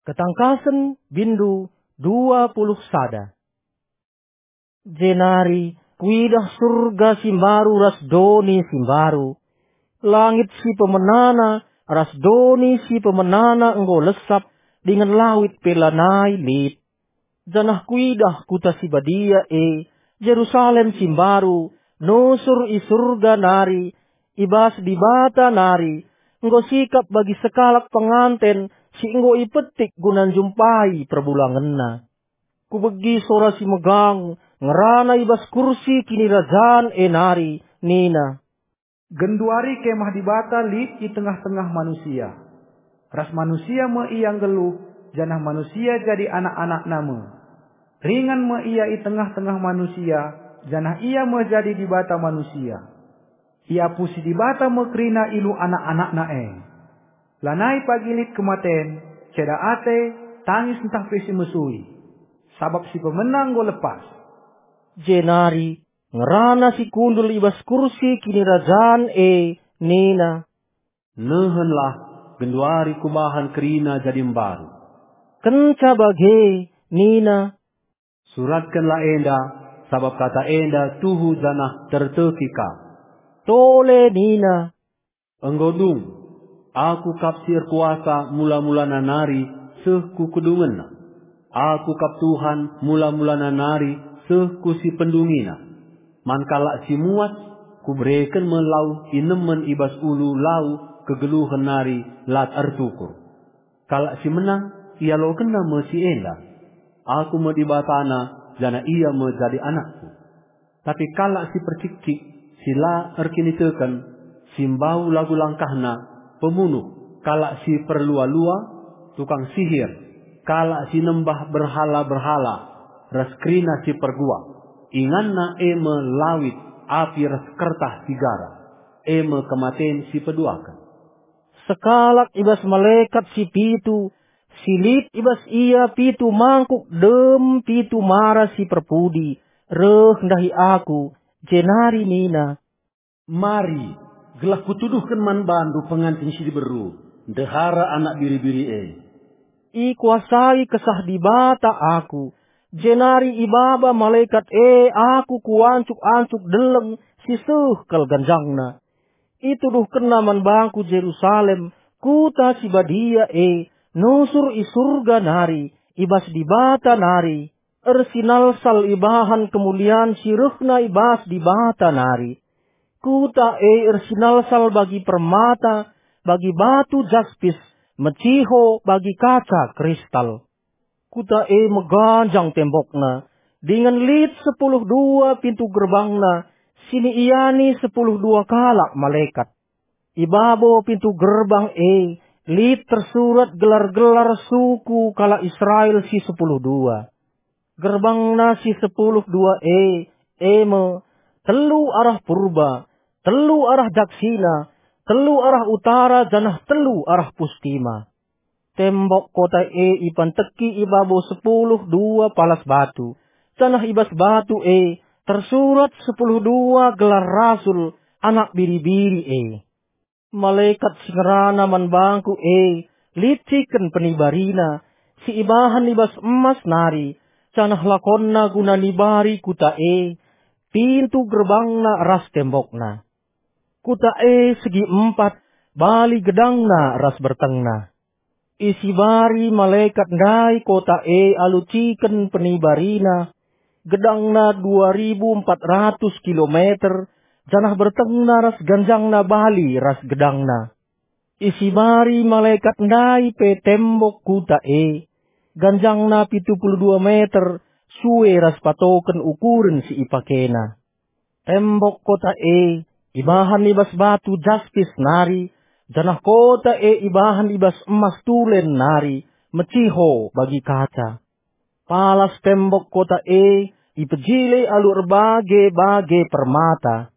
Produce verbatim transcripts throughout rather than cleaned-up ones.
Ketangkasen, bindu dua puluh sada. Jenari kuidah Surga si mbaru ras doni si mbaru. Langit si pemenana ras doni si pemenana enggo lesap, dingen lawit pe lanai lit. Janah kuidah kuta si badia e, Jerusalem si mbaru, nusur i Surga nari, i bas Dibata nari, enggo sikap bagi sekalak penganten si enggo ipetik guna njumpai perbulangenna. Kubegi sora si megang ngerana i bas kursi kinirajan e nari, nina, "Genduari Kemah Dibata lit i tengah-tengah manusia. Ras manusia me ia nggeluh, janah manusia jadi anak-anakna me. Ringan me ia i tengah-tengah manusia, janah ia me jadi Dibata manusia. Iapusi Dibata me kerina ilu anak-anakna e. Lanai pagi lit kematen, ceda ate, tangis ntah pe si mesui, sabap si pemena enggo lepas." Jenari ngerana si kundul i bas kursi kinirajan e, nina, "Nehenlah, genduari kubahan kerina jadi mbaru." Kenca bage, nina, "Suratkenlah enda, sabap kata enda tuhu janah terteki kap." Tole nina, "Enggo dung, Aku kap si erkuasa mula-mulana nari seh ku kedungenna. Aku kap Tuhan mula-mulana nari seh ku si pendungina. Man kalak si muas, Kubereken me lau inemen i bas ulu lau kegeluhen nari la ertukur. Kalak si menang, ialokenna me si enda. Aku me Dibatana, janah ia me jadi anakku. Tapi kalak si percikcik, si la erkiniteken, si mbau lagu langkahna, pemunuh, kalak si perlua-lua, tukang sihir, kalak si nembah berhala-berhala, ras kerina si perguak, inganna e me lawit, api ras kertah si gara, e me kematen si peduaken." Sekalak i bas malekat si pitu, si lit i bas ia pitu mangkuk dem pitu mara si perpudi, reh ndahi aku, jenari nina, "Mari, gelah kutuduhken man bandu penganten si diberu, ndehara Anak Biri-biri e." Ikuasai Kesah Dibata aku, jenari ibaba malekat e aku ku ancuk-ancuk deleng si seh kal ganjangna. Ituduhkenna man bangku Jerusalem, kuta si badia e, nusur i Surga nari, i bas Dibata nari, ersinalsal ibahan kemulian si rehna i bas Dibata nari. Kuta e ersinalsal bagi permata, bagi batu jaspis, meciho bagi kaca kristal. Kuta e meganjang tembokna, dingen lit sepuluh dua pintu gerbangna, si niiani sepuluh dua kalak malekat. I babo pintu gerbang e lit tersurat gelar-gelar suku kalak Israel si sepuluh dua. Gerbangna si sepuluh dua e, e me, telu arah purba, telu arah daksina, telu arah utara, janah telu arah pustima. Tembok kota e ipanteki i babo sepuluh dua palas batu, janah i bas batu e tersurat sepuluh dua gelar rasul Anak Biri-biri e. Malekat si ngerana man bangku e lit ciken penibarina, si ibahan i bas emas nari, janah lakonna guna nibari kuta e, pintu gerbangna ras tembokna. Kuta e segi empat, bali gedangna ras bertengna. Isibari malekat ndai kota e alu ciken penibarina, gedangna dua ribu empat ratus kilometer, janah bertengna ras ganjangna bali ras gedangna. Isibari malekat ndai pe tembok kuta e, ganjangna pitu puluh dua meter, sue ras patoken ukuren si ipakena. Tembok kota e ibahan i bas batu jaspis nari, janah kota e ibahan i bas emas tulen nari, meciho bagi kaca. Palas tembok kota e ipejile alu erbage-bage permata.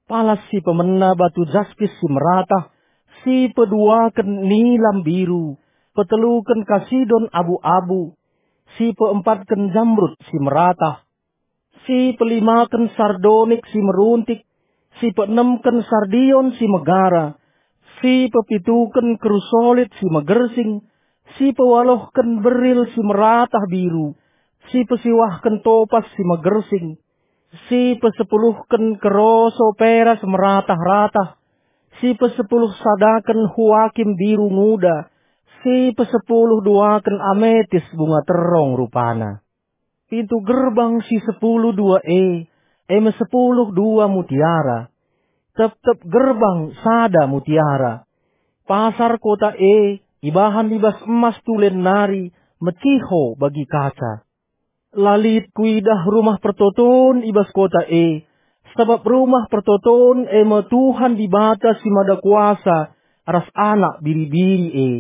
Palas si pemena batu jaspis si meratah, si peduaken nilam biru, peteluken kasidon abu-abu, si peempatken jamrud si meratah, si pelimaken sardonik si meruntik, si peenemken sardion si megara, si pepituken krusolit si megersing, si pewaluhken beril si meratah biru, si pesiwahken topas si megersing, si pesepuluhken keroso peras meratah-ratah, si pesepuluh sadaken huakim biru nguda, si pesepuluh duaken ametis bunga terong rupana. Pintu gerbang si sepuluh dua e, e me sepuluh dua mutiara. Tep-tep gerbang sada mutiara. Pasar kota e ibahan i bas emas tulen nari, meciho bagi kaca. La lit kuidah rumah pertoton i bas kota e, sabap rumah pertoton e me Tuhan Dibata si Mada Kuasa ras Anak Biri-biri e.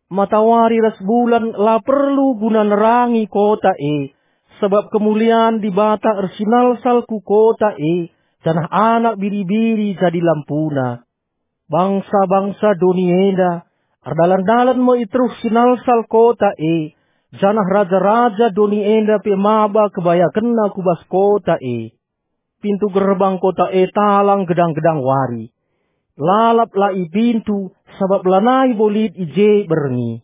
Matawari ras bulan la perlu guna nerangi kota e, sabap kemulian Dibata ersinalsal ku kota e, janah Anak Biri-biri jadi lampuna. Bangsa-bangsa doni enda erdalan-dalan me i teruh sinalsal kota e, janah raja-raja doni enda pe maba kebayakenna ku bas kota e. Pintu gerbang kota e talang gedang-gedang wari. Lalap la i pintu, sabap lanai bo lit i je berngi.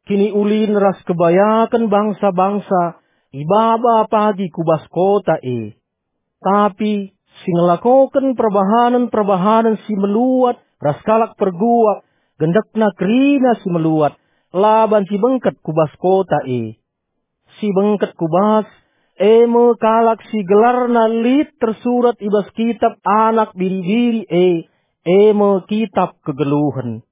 Kiniulin ras kebayaken bangsa-bangsa ibaba pagi ku bas kota e. Tapi si ngelakoken perbahanen-perbahanen si meluat ras kalak perguak, gendekna kerina si meluat, la banci bengket ku bas kota e. Si bengket ku bas, e me kalak si gelarna lit tersurat i bas kitap Anak Biri-biri e, e me kitap kegeluhen.